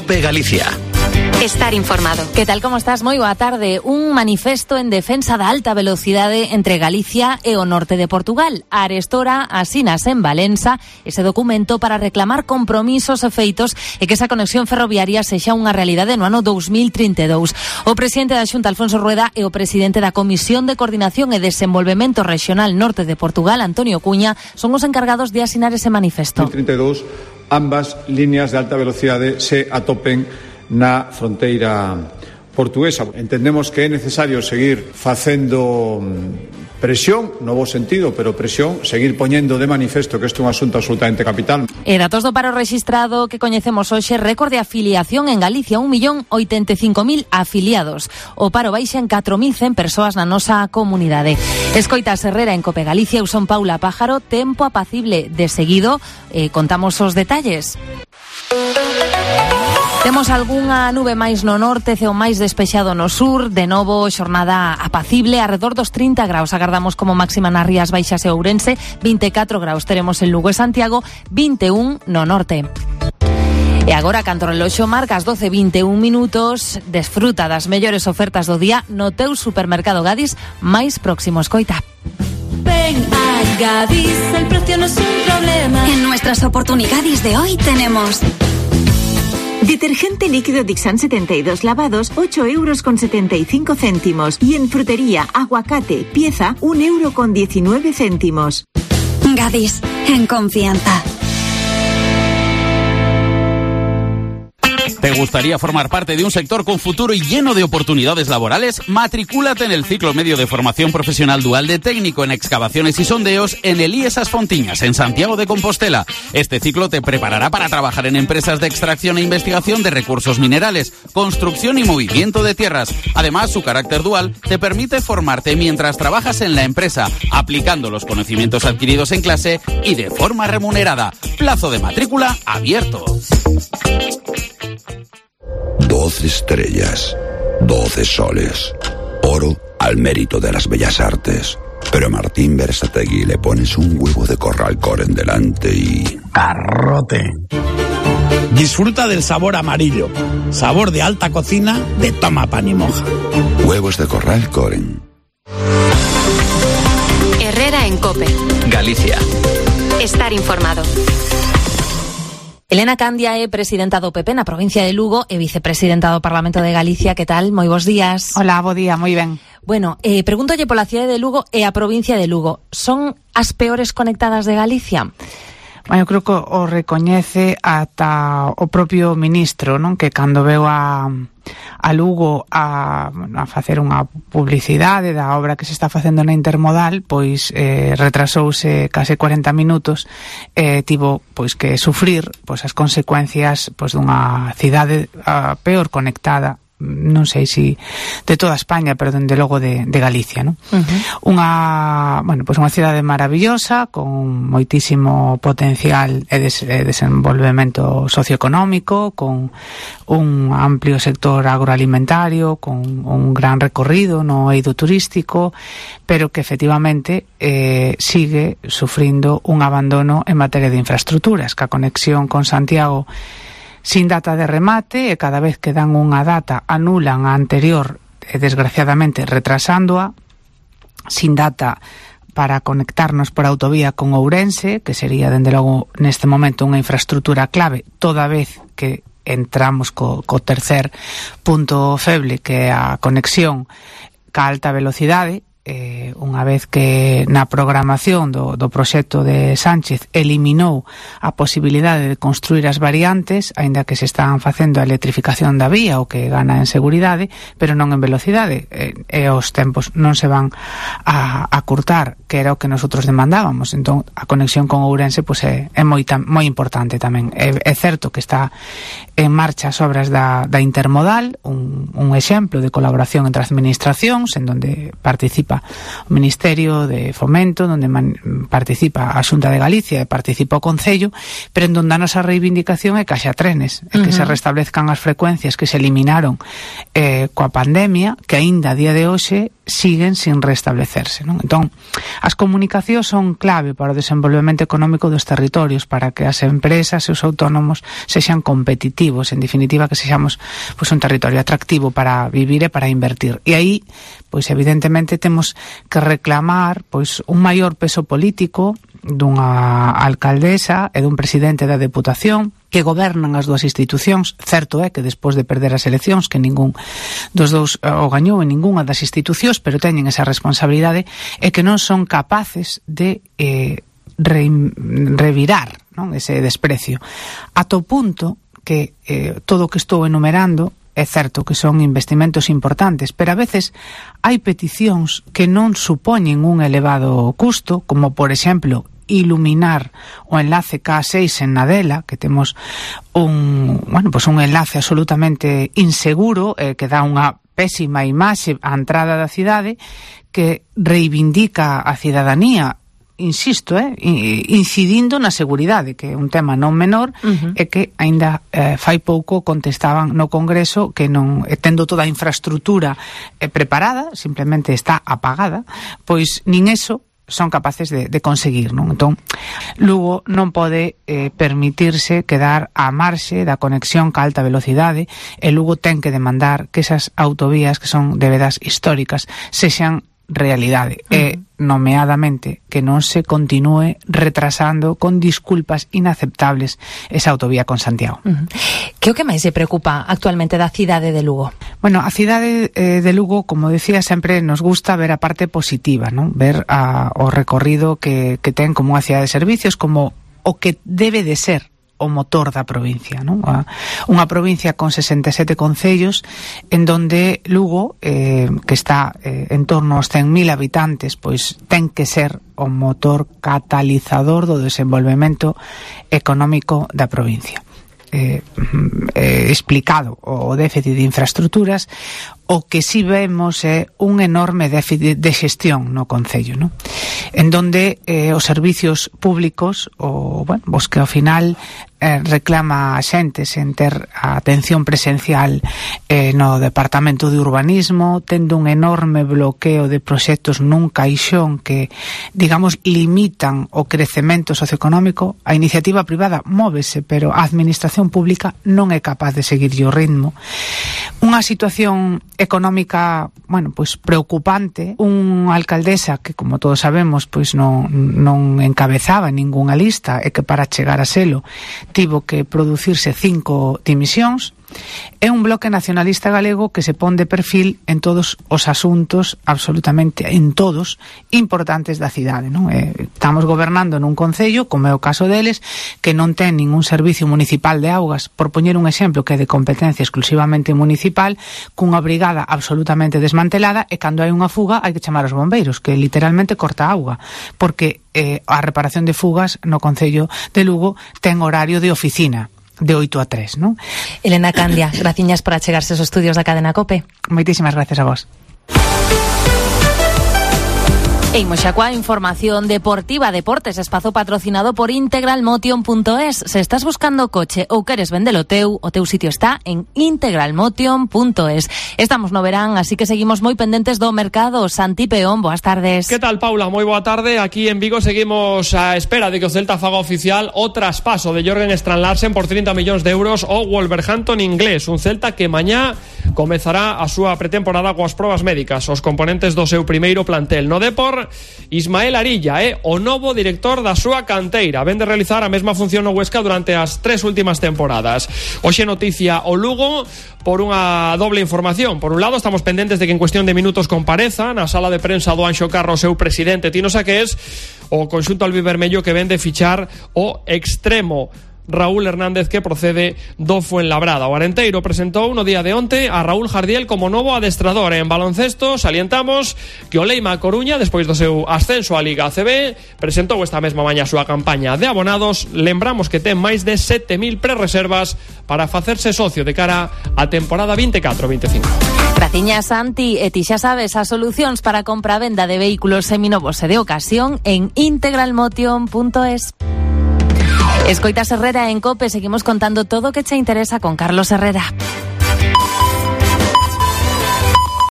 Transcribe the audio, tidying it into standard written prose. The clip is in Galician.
COPE Galicia. Estar informado. Que tal, como estás? Moi boa tarde. Un manifesto en defensa da alta velocidade entre Galicia e o norte de Portugal. Arestora asinas en Valença ese documento para reclamar compromisos e feitos e que esa conexión ferroviaria sexa unha realidade no ano 2032. O presidente da Xunta, Alfonso Rueda, e o presidente da Comisión de Coordinación e Desenvolvemento Regional Norte de Portugal, Antonio Cuña, son os encargados de asinar ese manifesto. 2032, ambas líneas de alta velocidade se atopen na fronteira portuguesa. Entendemos que é necesario seguir facendo presión, no bo sentido, pero presión, seguir poñendo de manifesto que isto é un asunto absolutamente capital. E datos do paro rexistrado que coñecemos hoxe, récord de afiliación en Galicia, 1.085.000 afiliados. O paro baixa en 4.100 persoas na nosa comunidade. Escoitas Herrera en COPE Galicia, eu son Paula Pájaro, tempo apacible. De seguido, contamos os detalles. Temos algunha nube máis no norte, ceo máis despexado no sur, de novo xornada apacible, arredor dos 30 graus agardamos como máxima nas Rías Baixas e Ourense, 24 graus teremos en Lugo e Santiago, 21 no norte. E agora, canto o reloxo marca as 12:21 minutos, desfruta das mellores ofertas do día no teu supermercado Gadis máis próximo. Escoita. Ven a Gadis, el precio no es un problema. En nuestras oportunidades de hoy tenemos detergente líquido Dixan 72 lavados, 8,75 €. Y en frutería, aguacate, pieza, 1,19 €. Gadis, en confianza. ¿Te gustaría formar parte de un sector con futuro y lleno de oportunidades laborales? Matricúlate en el ciclo medio de formación profesional dual de técnico en excavaciones y sondeos en el IES As Fontiñas, en Santiago de Compostela. Este ciclo te preparará para trabajar en empresas de extracción e investigación de recursos minerales, construcción y movimiento de tierras. Además, su carácter dual te permite formarte mientras trabajas en la empresa, aplicando los conocimientos adquiridos en clase y de forma remunerada. Plazo de matrícula abierto. 12 estrellas, 12 soles, oro al mérito de las bellas artes. Pero a Martín Berasategui le pones un huevo de Corral Coren delante y... ¡garrote! Disfruta del sabor amarillo, sabor de alta cocina de Toma Pan y Moja. Huevos de Corral Coren. Herrera en COPE Galicia. Estar informado. Elena Candia é presidenta do PP na provincia de Lugo e vicepresidenta do Parlamento de Galicia. Que tal? Moi bons días. Hola, bo día, moi ben. Bueno, pregúntolle pola cidade de Lugo e a provincia de Lugo. Son as peores conectadas de Galicia? Bueno, eu creo que o recoñece ata o propio ministro, non? Que cando veu a Lugo a facer unha publicidade da obra que se está facendo na Intermodal, pois retrasouse case 40 minutos e tivo pois que sufrir pois as consecuencias pois dunha cidade peor conectada, non sei se de toda España, pero dende logo de Galicia, non? Unha cidade maravillosa con moitísimo potencial e desenvolvemento socioeconómico, con un amplio sector agroalimentario, con un gran recorrido no eido turístico, pero que efectivamente sigue sufrindo un abandono en materia de infraestructuras, que a conexión con Santiago sin data de remate, e cada vez que dan unha data anulan a anterior, desgraciadamente retrasándoa, sin data para conectarnos por autovía con Ourense, que sería dende logo neste momento unha infraestructura clave, toda vez que entramos co tercer punto feble, que é a conexión ca alta velocidade. Unha vez que na programación do proxecto de Sánchez eliminou a posibilidade de construir as variantes, aínda que se están facendo a electrificación da vía, o que gana en seguridade, pero non en velocidade, e os tempos non se van a curtar, que era o que nosotros demandábamos. Entón, a conexión con Ourense pois é moi importante tamén. É certo que está en marcha as obras da Intermodal, un exemplo de colaboración entre administracións, en donde participa o Ministerio de Fomento, donde participa a Xunta de Galicia e participa o Concello, pero en donde a nosa reivindicación é que haxa trenes, e que se restablezcan as frecuencias que se eliminaron coa pandemia, que aínda a día de hoxe siguen sin restablecerse, non? Entón, as comunicacións son clave para o desenvolvemento económico dos territorios, para que as empresas e os autónomos sexan competitivos, en definitiva que sexamos pois un territorio atractivo para vivir e para invertir. E aí, pois evidentemente temos que reclamar pois un maior peso político dunha alcaldesa e dun presidente da Deputación que gobernan as dúas institucións. Certo é que despois de perder as eleccións que ningún dos dous o gañou en ningunha das institucións, pero teñen esa responsabilidade e que non son capaces de revirar, non, ese desprecio, ata o punto que todo o que estou enumerando é certo que son investimentos importantes, pero a veces hai peticións que non supoñen un elevado custo, como por exemplo iluminar o enlace K6 en Nadela, que temos un enlace absolutamente inseguro, que dá unha pésima imaxe á entrada da cidade, que reivindica a cidadanía, insisto, incidindo na seguridade, que é un tema non menor, e que aínda fai pouco contestaban no Congreso que non, tendo toda a infraestructura preparada, simplemente está apagada, pois nin eso son capaces de conseguir, non? Entón, Lugo non pode permitirse quedar á marxe da conexión ca alta velocidade, e Lugo ten que demandar que esas autovías que son de vedas históricas sexan realidade, e nomeadamente que non se continúe retrasando con disculpas inaceptables esa autovía con Santiago. Que o que máis se preocupa actualmente da cidade de Lugo? Bueno, a cidade de Lugo, como decía, sempre nos gusta ver a parte positiva, non? Ver o recorrido que ten como unha cidade de servicios, como o que debe de ser o motor da provincia, non? Unha provincia con 67 concellos en donde Lugo, que está en torno aos 100.000 habitantes, pois ten que ser o motor catalizador do desenvolvemento económico da provincia. Explicado o déficit de infraestructuras, o que si vemos é un enorme déficit de xestión no concello, non? En donde os servicios públicos, os que ao final reclama a xente sen ter a atención presencial no Departamento de Urbanismo, tendo un enorme bloqueo de proxectos nun caixón que, digamos, limitan o crecemento socioeconómico. A iniciativa privada móvese, pero a administración pública non é capaz de seguir o ritmo. Unha situación económica, pois preocupante, unha alcaldesa que, como todos sabemos, pois non encabezaba ningunha lista e que para chegar a selo tivo que producirse 5 dimisións. É un bloque nacionalista galego que se pon de perfil en todos os asuntos, absolutamente en todos, importantes da cidade, non? Estamos gobernando nun concello, como é o caso deles, que non ten ningún servicio municipal de augas, por poñer un exemplo que é de competencia exclusivamente municipal, cunha brigada absolutamente desmantelada, e cando hai unha fuga hai que chamar aos bombeiros, que literalmente corta a auga, porque a reparación de fugas no concello de Lugo ten horario de oficina, de 8 a 3, non? Elena Candia, graciñas por achegarse aos estudios da cadena COPE. Moitísimas gracias a vos. E imos xa coa información deportiva. Deportes, espazo patrocinado por integralmotion.es. Se estás buscando coche ou queres vendelo o teu sitio está en integralmotion.es. Estamos no verán, así que seguimos moi pendentes do mercado. Santi Peón, boas tardes. Que tal, Paula? Moi boa tarde. Aquí en Vigo seguimos a espera de que o Celta faga oficial o traspaso de Jørgen Strand Larsen por 30 millóns de euros ao Wolverhampton inglés. Un Celta que mañá comezará a súa pretemporada coas probas médicas, os componentes do seu primeiro plantel. No Depor, Ismael Arilla o novo director da súa canteira. Ven de realizar a mesma función no Huesca durante as 3 últimas temporadas. Hoxe noticia o Lugo por unha doble información. Por un lado, estamos pendentes de que en cuestión de minutos compareza na sala de prensa do Anxo Carro o seu presidente Tino Saqués, o conxunto albivermello que ven de fichar o extremo Raúl Hernández, que procede do Fuenlabrada. O Arenteiro presentou no día de onte a Raúl Jardiel como novo adestrador. En baloncesto salientamos que o Leima Coruña, despois do seu ascenso á Liga ACB, presentou esta mesma mañá a súa campaña de abonados. Lembramos que ten máis de 7.000 prerreservas para facerse socio de cara á temporada 24-25. Graciñas, Santi. E ti xa sabes, as solucións para compra-venda de vehículos seminovos e de ocasión en integralmotion.es. Escoitas Herrera en COPE, seguimos contando todo o que che interesa con Carlos Herrera.